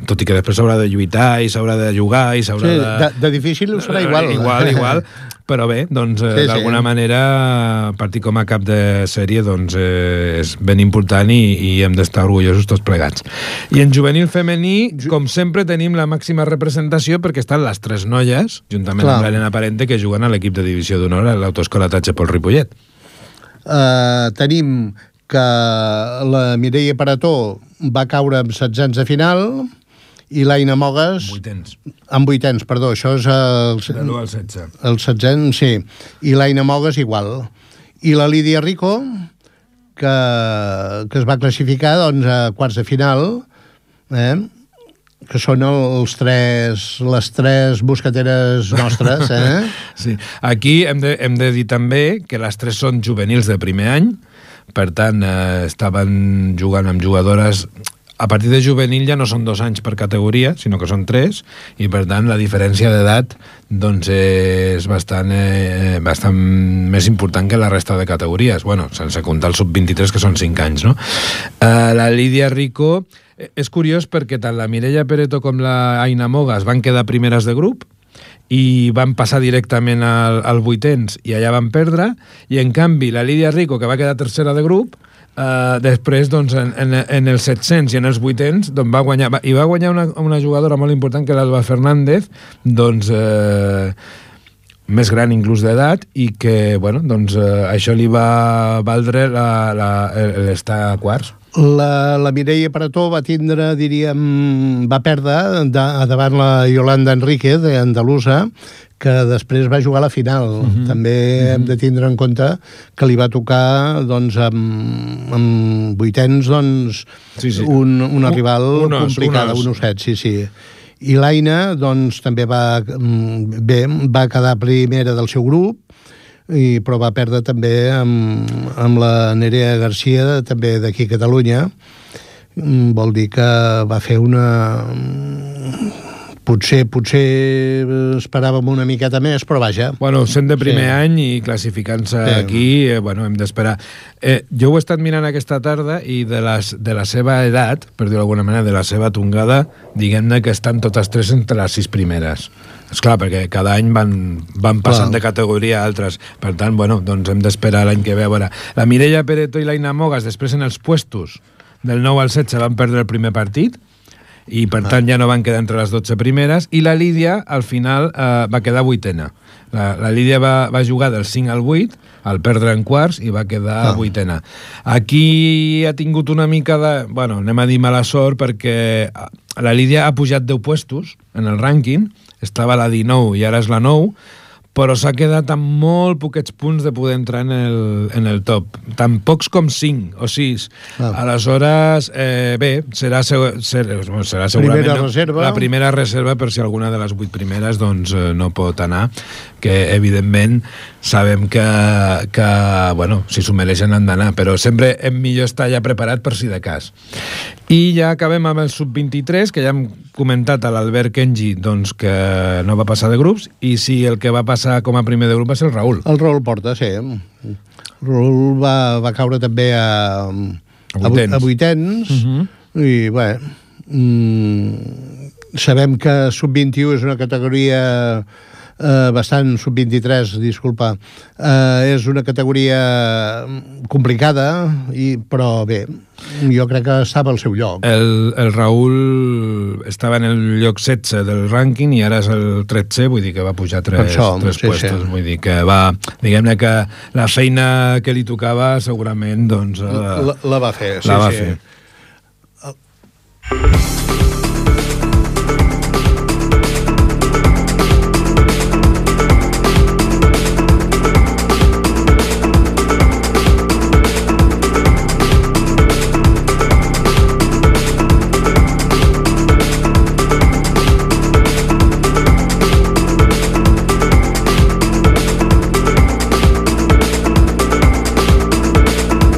tot i que després s'haurà de lluitar i s'haurà de jugar i s'haurà sí, de... de... De difícil ho serà igual. Igual, igual, però bé, doncs, eh, sí, d'alguna sí. manera, partir com a cap de sèrie doncs, eh, és ben important i, i hem d'estar orgullosos tots plegats. I en juvenil femení, com sempre, tenim la màxima representació perquè estan les tres noies, juntament Clar. amb l'Helena Parente, que juguen a l'equip de divisió d'honor a l'autoescola Tatxapol Ripollet. Uh, tenim que la Mireia Parató va caure amb setzents de final i l'Aina Mogues... Vuitens. Amb vuitens, perdó, això és el... De l'u al setze. El setzent, sí. I l'Aina Mogues igual. I la Lídia Rico, que, que es va classificar doncs, a quarts de final, eh? que són els tres, les tres buscateres nostres. Eh? Sí. Aquí hem de, hem de dir també que les tres són juvenils de primer any, per tant, eh, estaven jugant amb jugadores... A partir de juvenil ja no són dos anys per categoria, sinó que són tres, i per tant la diferència d'edat doncs, és bastant, eh, bastant més important que la resta de categories. Bueno, sense comptar el sub vint-i-tres, que són cinc anys, no? Eh, la Lídia Rico... És curiós perquè tant la Mireia Pereto com la Aina Mogues van quedar primeres de grup, i van passar directament al, al vuitens i allà van perdre, i en canvi la Lídia Rico, que va quedar tercera de grup, eh, després doncs, en, en, en els set-cents i en els vuitens doncs, va guanyar, va, i va guanyar una, una jugadora molt important que era l'Alba Fernández, doncs eh, més gran inclús d'edat, i que bueno, doncs, eh, això li va valdre l'estar a quarts. La, la Mireia Parató va tindre, diríem, va perdre de, davant la Yolanda Enrique, d'Andalusa, que després va jugar a la final. Uh-huh. També uh-huh. hem de tindre en compte que li va tocar, doncs, amb, amb vuitens, doncs, sí, sí. Un, una rival un os, complicada, un, os. un osset, sí, sí. I l'Aina, doncs, també va, bé, va quedar primera del seu grup, i, però va perdre també amb, amb la Nerea Garcia, també d'aquí a Catalunya. Vol dir que va fer una... Potser, potser esperàvem una miqueta més, però vaja. Bueno, sent de primer sí. any i classificant-se sí. aquí, eh, bueno, hem d'esperar. Eh, jo ho he estat mirant aquesta tarda i de, les, de la seva edat, per dir-ho d'alguna manera, de la seva tongada, diguem-ne que estan totes tres entre les sis primeres. Esclar, perquè cada any van, van passant Clar. de categoria a altres. Per tant, bueno, doncs hem d'esperar l'any que ve. A veure, la Mireia Pereto i l'Aina Mogas, després en els puestos del nou al setze van perdre el primer partit, i per tant ja no van quedar entre les dotze primeres, i la Lídia al final eh, va quedar vuitena. La, la Lídia va, va jugar del cinc al vuit, al perdre en quarts, i va quedar ah. vuitena. Aquí ha tingut una mica de... Bueno, anem a dir mala sort, perquè la Lídia ha pujat deu puestos en el rànquing, estava a la dinou i ara és la nou, però s'ha quedat amb molt poquets punts de poder entrar en el, en el top. Tan pocs com cinc o sis. Ah. Aleshores, eh, bé, serà, serà, serà segurament primera reserva. la primera reserva per si alguna de les vuit primeres doncs, no pot anar, que evidentment sabem que, que bueno, si s'ho mereixen han d'anar, però sempre és millor estar ja preparat per si de cas. I ja acabem amb el sub vint-i-tres, que ja hem comentat a l'Albert Kenji doncs, que no va passar de grups, i sí, el que va passar com a primer de grup va ser el Raül. El Raül Porta, sí. El Raül va, va caure també a, a vuitens, a vuitens uh-huh. i bé, mm, sabem que sub vint-i-u és una categoria eh, bastant, sub vint-i-tres, disculpa, eh, és una categoria complicada, i, però bé, jo crec que estava al seu lloc. El, el Raül estava en el lloc setze del rànquing i ara és el tretze, vull dir que va pujar tres, això, tres sí, puestos. Sí. Vull dir que va... Diguem-ne que la feina que li tocava segurament, doncs... Eh, la, la va fer, sí, la va sí. fer.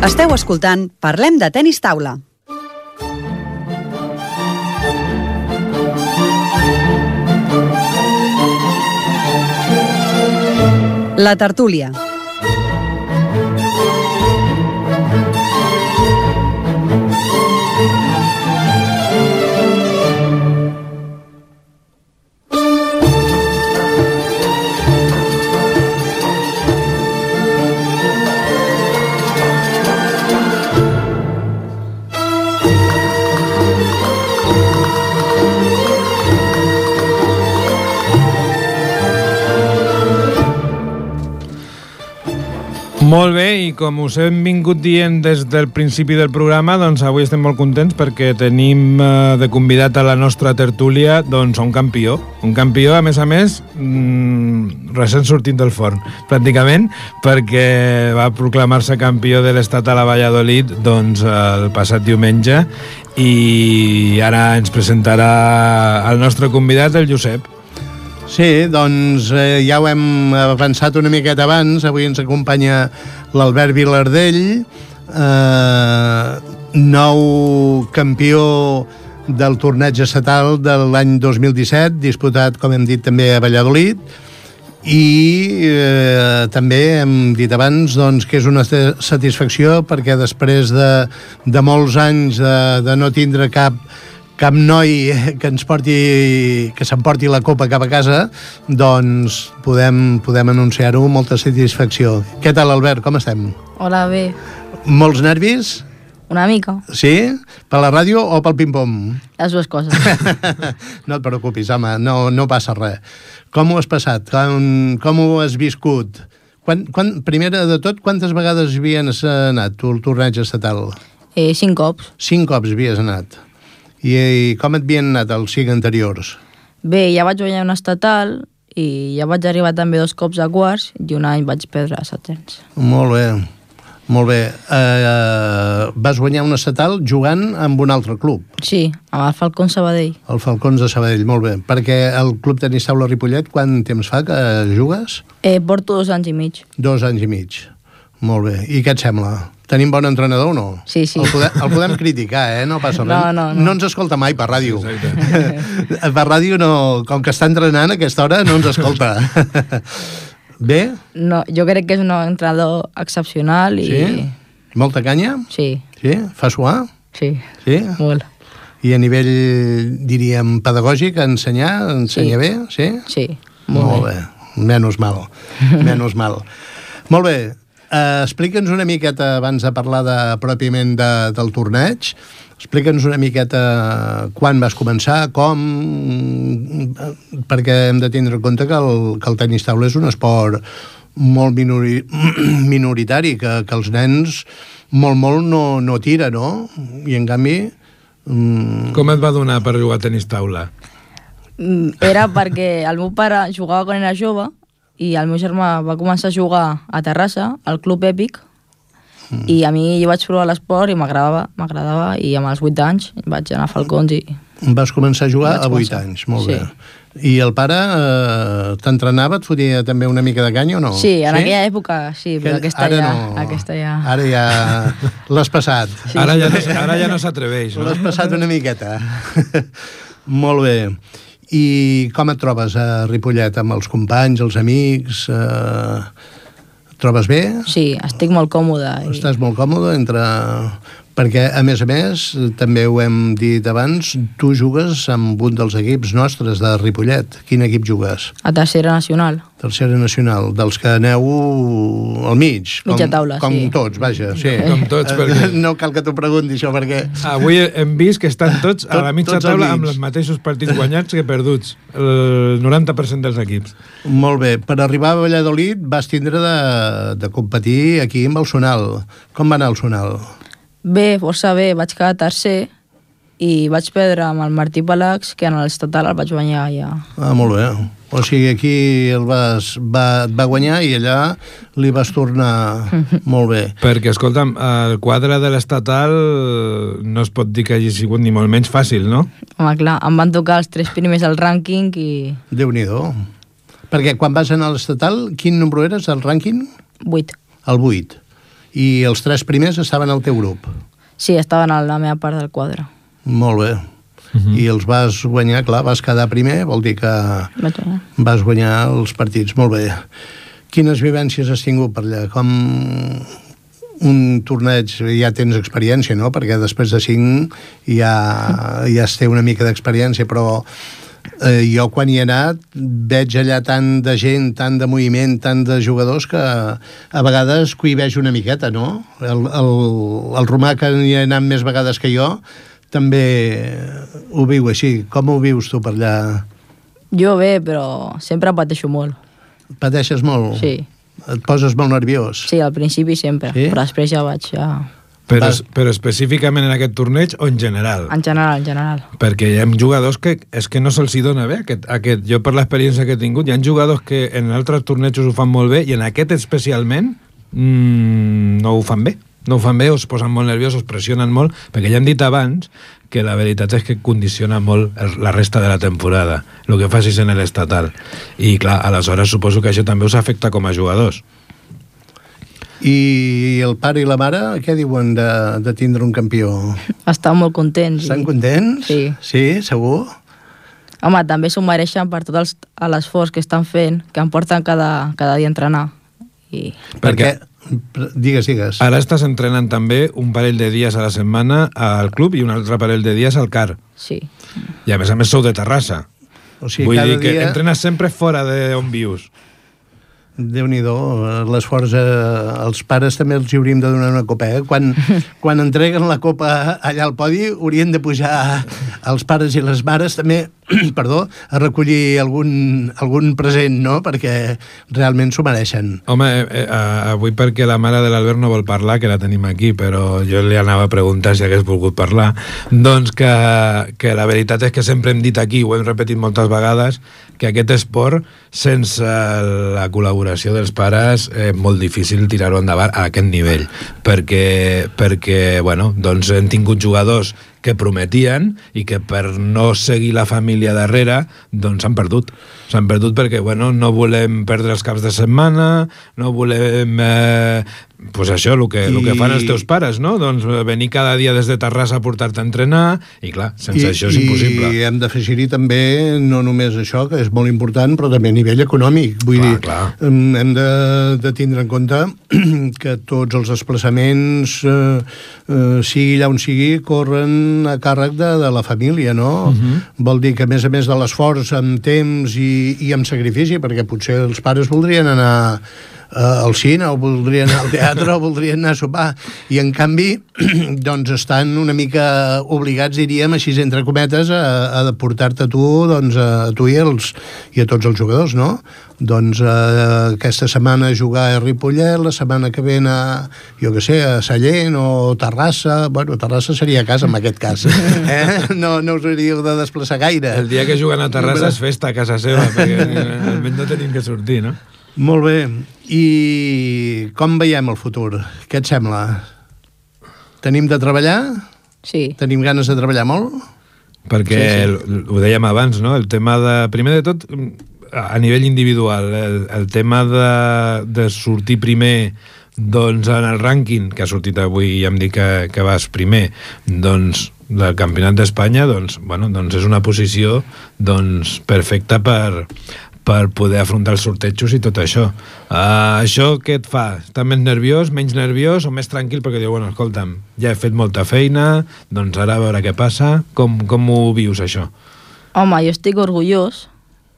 Esteu escoltant Parlem de Tenis Taula. La tertúlia. Molt bé, i com us hem vingut dient des del principi del programa, doncs avui estem molt contents perquè tenim eh, de convidat a la nostra tertúlia doncs un campió. Un campió, a més a més, mmm, recent sortit del forn, pràcticament, perquè va proclamar-se campió de l'Estatal a Valladolid doncs, el passat diumenge, i ara ens presentarà el nostre convidat, el Josep. Sí, doncs eh, ja ho hem avançat una miqueta abans. Avui ens acompanya l'Albert Vilardell, eh, nou campió del torneig estatal de l'any dos mil disset, disputat, com hem dit, també a Valladolid, i eh, també hem dit abans doncs, que és una satisfacció perquè després de, de molts anys de, de no tindre cap cap noi que ens porti, que s'emporti la copa cap a casa, doncs podem, podem anunciar-ho amb molta satisfacció. Què tal, Albert? Com estem? Hola, bé. Molts nervis? Una mica. Sí? Per la ràdio o pel ping-pong? Les dues coses. No et preocupis, home, no, no passa res. Com ho has passat? Com, com ho has viscut? Quan, quan, primera de tot, quantes vegades havies anat tu al torneig estatal? Eh, cinc cops. Cinc cops havies anat. I, i com et havien anat els cinc anteriors? Bé, ja vaig guanyar un estatal i ja vaig arribar també dos cops a quarts i un any vaig perdre a setens. Molt bé, Molt bé. Eh, vas guanyar un estatal jugant amb un altre club, Sí, amb el Falcón Sabadell. el Falcons de Sabadell, molt bé. Perquè el Club Tenis Taula Ripollet, quant temps fa que jugues? Eh, porto dos anys i mig. Dos anys i mig. Molt bé. I què et sembla? Tenim bon entrenador o no? Sí, sí. El podem, el podem criticar, eh? No passa res. No, no, no. No ens escolta mai per ràdio. Per ràdio no... Com que està entrenant a aquesta hora, no ens escolta. Bé? No, jo crec que és un entrenador excepcional i... Sí? Molta canya? Sí, Sí? Fa suar? sí, Sí? molt. I a nivell, diríem, pedagògic, ensenyar, ensenya Sí. bé? Sí? Sí, molt, Molt bé. Menys mal. Menys mal. Molt bé. Uh, explica'ns una miqueta, abans de parlar de, pròpiament de, del torneig, explica'ns una miqueta quan vas començar, com... Perquè hem de tindre en compte que el, que el tenis taula és un esport molt minori, minoritari, que, que els nens molt, molt no, no tira, no? I en canvi... Mm, Com et va donar per jugar a tenis taula? Mm, Era perquè el meu pare jugava quan era jove i el meu germà va començar a jugar a Terrassa, al Club Èpic, mm. i a mi jo vaig provar l'esport i m'agradava, m'agradava i amb els vuit anys vaig anar a Falcons i... vas començar a jugar Vaig a vuit començar. anys, molt Sí. bé. I el pare eh, t'entrenava, et fotia també una mica de canya o no? Sí, en aquella època sí, però Que aquesta ara ja, no. aquesta ja... Ara ja l'has passat. Sí. Ara ja no, ara ja no s'atreveix, no? L'has passat una miqueta. Molt bé. I com et trobes a Ripollet amb els companys, els amics? Eh, et trobes bé? Sí, estic molt còmode. I... Estàs molt còmode entre... Perquè, a més a més, també ho hem dit abans, tu jugues amb un dels equips nostres de Ripollet. Quin equip jugues? A tercera nacional. Tercera nacional, dels que aneu al mig. Com, Mitja taula, com sí. tots, vaja. Sí. Com tots, perquè- No cal que t'ho pregunti, això, perquè... Avui hem vist que estan tots a la Tot- mitja tots al taula mig. amb els mateixos partits guanyats que perduts. El noranta per cent dels equips. Molt bé. Per arribar a Valladolid vas tindre de, de competir aquí amb el Sonal. Com va anar el Sonal? Bé, força bé, vaig quedar tercer i vaig perdre amb el Martí Palax, que en l'estatal el vaig guanyar ja. Ah, molt bé. O sigui, aquí el vas, va, et va guanyar i allà li vas tornar molt bé. Perquè, escolta'm, el quadre de l'estatal no es pot dir que hagi sigut ni molt menys fàcil, no? Home, clar, em van tocar els tres primers al rànquing i... Déu-n'hi-do. Perquè quan vas anar a l'estatal, quin número eres, el rànquing? Vuit. El vuit. I els tres primers estaven al teu grup. Sí, estaven a la meva part del quadre. Molt bé. Mhm. I els vas guanyar, clar, vas quedar primer, vol dir que Vaig guanyar. vas guanyar els partits. Molt bé. Quines vivències has tingut per allà? Com un torneig, ja tens experiència, no? Perquè després de cinc ja, ja es té una mica d'experiència, però eh, jo quan hi he anat veig allà tant de gent, tant de moviment, tant de jugadors que a vegades cohibeix una miqueta, no? El, el, el Romà, que hi ha anat més vegades que jo, també ho viu així. Com ho vius tu per allà? Jo bé, però sempre pateixo molt. Pateixes molt? Sí. Et poses molt nerviós? Sí, al principi sempre, Sí? però després ja vaig ja... Però, Vas- però específicament en aquest torneig o en general? En general, en general. Perquè hi ha jugadors que és que no se'ls hi dona bé aquest, aquest. Jo per l'experiència que he tingut, hi ha jugadors que en altres tornejos ho fan molt bé i en aquest especialment mmm, no ho fan bé. No ho fan bé, o es posen molt nerviosos, pressionen molt, perquè ja han dit abans que la veritat és que condiciona molt el, la resta de la temporada, el que facis en l'estatal. I clar, aleshores suposo que això també us afecta com a jugadors. I el pare i la mare, què diuen de, de tindre un campió? Estan molt contents. Estan i... contents? Sí. Sí, segur? Home, també s'ho mereixen per tot els- l'esforç que estan fent, que em porten cada, cada dia a entrenar. I... Perquè... Digues, digues. Ara estàs entrenant també un parell de dies a la setmana al club i un altre parell de dies al C A R. Sí. I a més a més sou de Terrassa. O sigui, Vull cada dir que dia... entrenes sempre fora d'on vius. Déu-n'hi-do, l'esforç, eh, els pares també els hi hauríem de donar una copa, eh? Quan, quan entreguen la copa allà al podi, haurien de pujar els pares i les mares també, perdó, a recollir algun, algun present, no?, perquè realment s'ho mereixen. Home, eh, eh, avui perquè la mare de l'Albert no vol parlar, que la tenim aquí, però jo li anava a preguntar si hagués volgut parlar, doncs que, que la veritat és que sempre hem dit aquí, ho hem repetit moltes vegades, que aquest esport, sense la col·laboració dels pares, és eh, molt difícil tirar-ho endavant a aquest nivell, perquè, perquè bueno, doncs hem tingut jugadors que prometien i que per no seguir la família darrere doncs s'han perdut. S'han perdut perquè bueno, no volem perdre els caps de setmana, no volem eh, pues això, el que, I... el que fan els teus pares, no? Doncs venir cada dia des de Terrassa a portar-te a entrenar i clar, sense I, això és impossible. I hem d'afegir-hi també no només això, que és molt important, però també a nivell econòmic. Vull clar, dir, clar. hem de, de tindre en compte que tots els desplaçaments, eh, eh, sigui allà on sigui, corren a càrrec de, de la família, no? Uh-huh. Vol dir que, a més a més de l'esforç amb temps i, i amb sacrifici, perquè potser els pares voldrien anar uh, al cine, o voldrien anar al teatre, o voldrien anar a sopar, i en canvi, doncs estan una mica obligats, diríem, així entre cometes, a, a portar-te a tu, doncs, a tu i, els, i a tots els jugadors, no? Doncs eh, aquesta setmana jugar a Ripollet, la setmana que ve a, jo què sé, a Sallent o Terrassa. Bueno, Terrassa seria a casa en aquest cas. Eh? No, no us hauríeu de desplaçar gaire. El dia que juguen a Terrassa és festa a casa seva, perquè almenys no tenim que sortir, no? Molt bé. I com veiem el futur? Què et sembla? Tenim de treballar? Sí. Tenim ganes de treballar molt? Perquè, sí, sí. Ho dèiem abans, no? El tema de... Primer de tot, a nivell individual, el, el tema de, de sortir primer doncs en el rànquing, que ha sortit avui i em dic que, que vas primer, doncs del Campionat d'Espanya, doncs, bueno, doncs és una posició doncs, perfecta per, per poder afrontar els sortejos i tot això. Uh, això què et fa? Estàs més nerviós, menys nerviós o més tranquil? Perquè diu, bueno, escolta'm, ja he fet molta feina, doncs ara a veure què passa. Com, com ho vius, això? Home, jo estic orgullós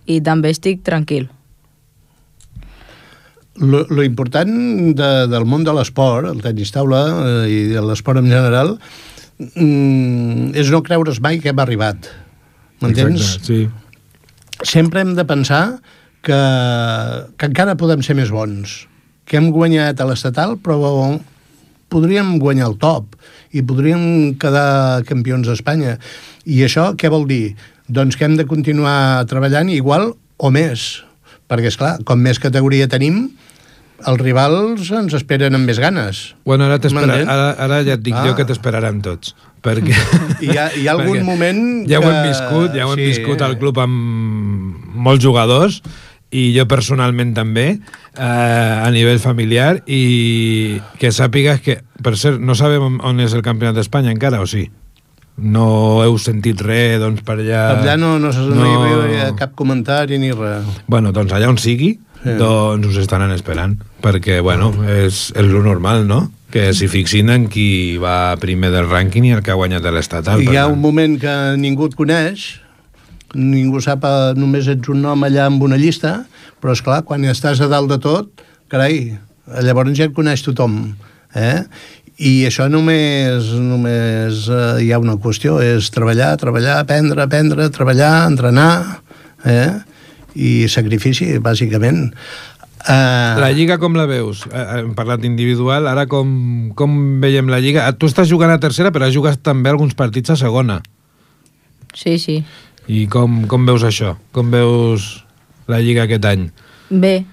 i també estic tranquil. Lo, lo important de, del món de l'esport, el tenis taula eh, i de l'esport en general, mm, és no creure's mai que hem arribat. M'entens? Exacte, sí. Sempre hem de pensar que, que encara podem ser més bons, que hem guanyat a l'estatal, però podríem guanyar el top i podríem quedar campions d'Espanya. I això què vol dir? Doncs que hem de continuar treballant igual o més, perquè, esclar, com més categoria tenim, els rivals ens esperen amb més ganes. Bueno, ara, ara, ara ja et dic ah. jo que t'esperarem tots, perquè... Hi ha, hi ha algun moment ja que... ho hem viscut, ja ho hem sí. viscut al club amb molts jugadors, i jo personalment també, eh, a nivell familiar, i que sàpigues que, per cert, no sabem on és el Campionat d'Espanya encara, o sí? No heu sentit res, doncs, per allà... Per allà no, no, no, no hi havia cap comentari ni res. Bueno, doncs allà on sigui, sí. doncs us estaran esperant, perquè, bueno, és, és lo normal, no? Que s'hi fixin en qui va primer del rànquing i el que ha guanyat l'estatal. Hi ha un moment que ningú et coneix, ningú sap, només ets un nom allà amb una llista, però, esclar, quan estàs a dalt de tot, carai, llavors ja et coneix tothom, eh? I això només, només eh, hi ha una qüestió, és treballar, treballar, aprendre, aprendre, treballar, entrenar, eh? I sacrifici, bàsicament. Uh... La Lliga com la veus? Hem parlat individual, ara com, com veiem la Lliga? Tu estàs jugant a tercera, però has jugat també alguns partits a segona. Sí, sí. I com, com veus això? Com veus la Lliga aquest any? Bé.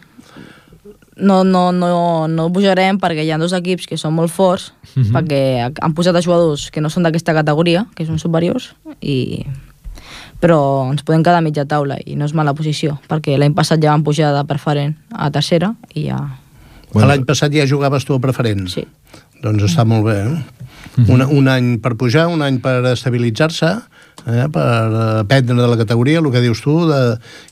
No, no, no, no pujarem perquè hi ha dos equips que són molt forts, uh-huh. perquè han posat a jugadors que no són d'aquesta categoria, que són superiors, i... però ens podem quedar a mitja taula i no és mala posició, perquè l'any passat ja van pujar de preferent a tercera i ja... Bueno. L'any passat ja jugaves tu a preferent? Sí. Doncs està molt bé, eh? Uh-huh. un, un any per pujar, un any per estabilitzar-se, eh? Per aprendre de la categoria, el que dius tu, de,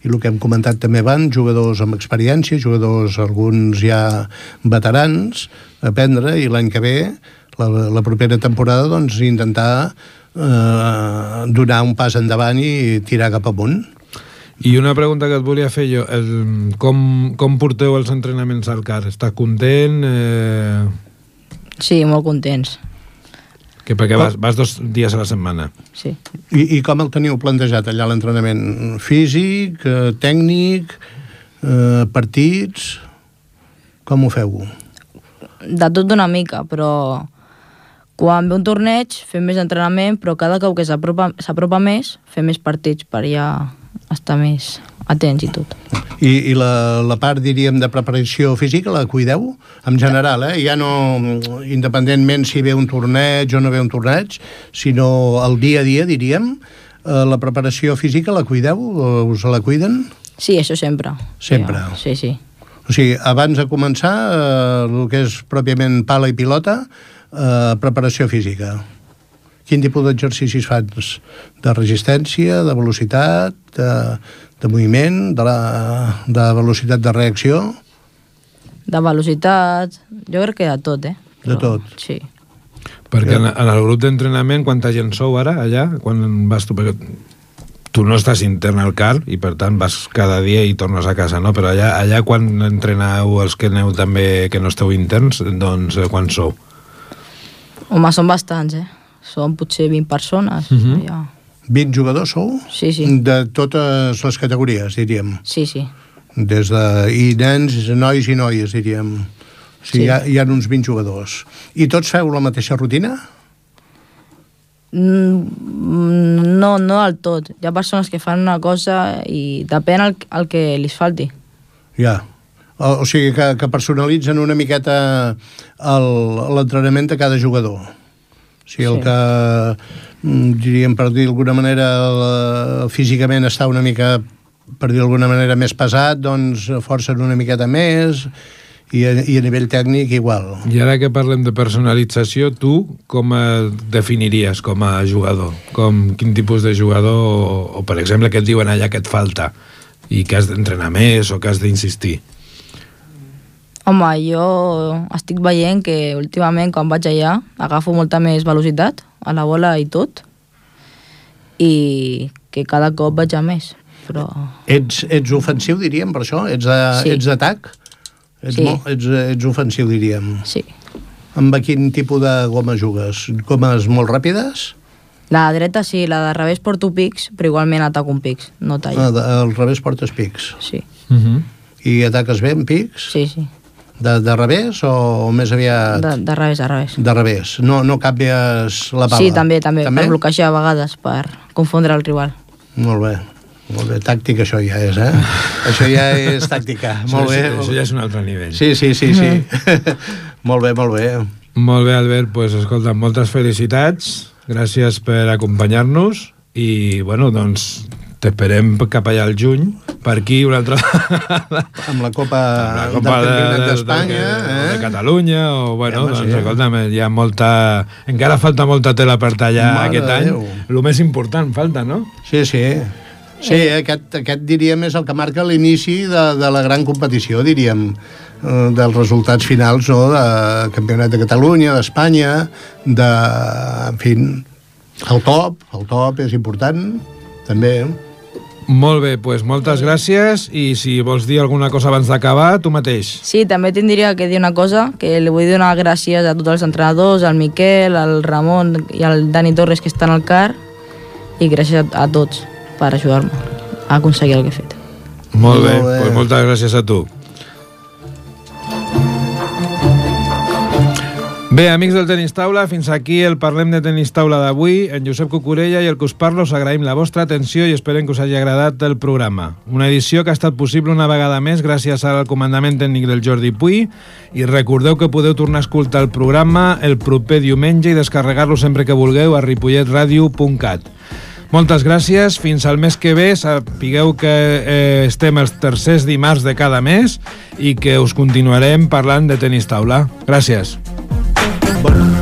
i el que hem comentat també abans, jugadors amb experiència, jugadors, alguns ja veterans, aprendre, i l'any que ve, la, la propera temporada, doncs intentar eh, donar un pas endavant i tirar cap amunt. I una pregunta que et volia fer jo, el, com, com porteu els entrenaments al C A R? Estàs content? Eh... Sí, molt contents. Que perquè vas, vas dos dies a la setmana. Sí. I, I com el teniu plantejat allà l'entrenament? Físic, eh, tècnic, eh, partits... Com ho feu? De tot una mica, però quan ve un torneig fem més entrenament, però cada cop que s'apropa s'apropa més fem més partits per ja estar més atents i tot. I, i la, la part, diríem, de preparació física la cuideu? En general, eh? Ja no, independentment si ve un torneig o no ve un torneig, sinó el dia a dia, diríem, eh, la preparació física la cuideu? Us la cuiden? Sí, això sempre. Sempre? Sí, sí. O sigui, abans de començar, eh, el que és pròpiament pala i pilota, eh, preparació física. Quin tipus d'exercicis fas? De resistència, de velocitat, de, de moviment, de, la, de velocitat de reacció? De velocitat, jo crec que de tot, eh? De Però, tot? Sí. Perquè en, en el grup d'entrenament, quanta gent sou ara, allà? Quan vas tu? Perquè tu no estàs intern al car i, per tant, vas cada dia i tornes a casa, no? Però allà, allà quan entreneu els que aneu també, que no esteu interns, doncs, quan sou? Home, són bastants, eh? Són potser vint persones. Mhm. Ja. vint jugadors sou? Sí, sí. De totes les categories, diríem. Sí, sí. Des de... I nens, nois i noies, diríem. O sigui, Sí. hi, ha, hi ha uns vint jugadors. I tots feu la mateixa rutina? Mm, no, no del tot. Hi ha persones que fan una cosa i depèn el, el que li falti. Ja. O, o sigui, que, que personalitzen una miqueta el- l'entrenament de cada jugador. O sigui, el Sí. que, mm, diríem, per dir d'alguna manera, la, físicament està una mica, per dir d'alguna manera, més pesat, doncs forcen una miqueta més, i a, i a nivell tècnic igual. I ara que parlem de personalització, tu com et definiries com a jugador? Com, quin tipus de jugador, o, o per exemple, què et diuen allà que et falta i que has d'entrenar més o que has d'insistir? Home, jo estic veient que últimament quan vaig allà agafo molta més velocitat a la bola i tot, i que cada cop vaig a més, però... Ets, ets ofensiu, diríem, per això? Ets de- Sí. ets d'atac? Ets, Sí. molt, ets, ets ofensiu, diríem. Sí. Amb quin tipus de goma jugues? Gomes molt ràpides? La dreta sí, la de revés porto pics, però igualment ataco un pics, no tallo. Ah, de, al revés portes pics. Sí, Uh -huh. I ataques bé amb pics? sí, sí. De, de revés o, o més aviat... De, de revés a revés. De revés. No, no canvies la pala? Sí, també, també, per bloquejar a vegades, per confondre el rival. Molt bé. Molt bé, tàctica això ja és, eh? Això ja és tàctica. Molt Això, bé. això, això ja és un altre nivell. Sí, sí, sí, sí. Molt bé, molt bé. Molt bé, Albert, pues, escolta, moltes felicitats, gràcies per acompanyar-nos i, bueno, doncs, t'esperem cap allà al juny, per aquí una altra vegada. Amb la Copa, Amb la Copa del de, Campionat de, d'Espanya, de, eh? de Catalunya, o, bueno, Ja, home, doncs, sí. escolta'm, hi ha molta... Encara falta molta tela per tallar Mare aquest de any. Déu. El més important falta, no? Sí, sí. Sí, aquest, aquest diríem és el que marca l'inici de, de la gran competició, diríem, eh, dels resultats finals, no?, de Campionat de Catalunya, d'Espanya, de... en fi, el top, el top és important, també. Molt bé, doncs moltes gràcies, i si vols dir alguna cosa abans d'acabar, tu mateix. Sí, també tindria que dir una cosa, que li vull donar gràcies a tots els entrenadors, al Miquel, al Ramon i al Dani Torres, que estan al car, i gràcies a, a tots per ajudar-me a aconseguir el que he fet. Molt bé, Molt bé. doncs moltes gràcies a tu. Bé, amics del Tenis Taula, fins aquí el Parlem de Tenis Taula d'avui. En Josep Cucurella i el que us parlo us agraïm la vostra atenció i esperem que us hagi agradat el programa. Una edició que ha estat possible una vegada més gràcies al comandament tècnic del Jordi Puy, i recordeu que podeu tornar a escoltar el programa el proper diumenge i descarregar-lo sempre que vulgueu a ripollet radio punt cat. Moltes gràcies, fins al mes que ve. Sapigueu que eh, estem els tercers dimarts de cada mes i que us continuarem parlant de tenis taula. Gràcies. Bon.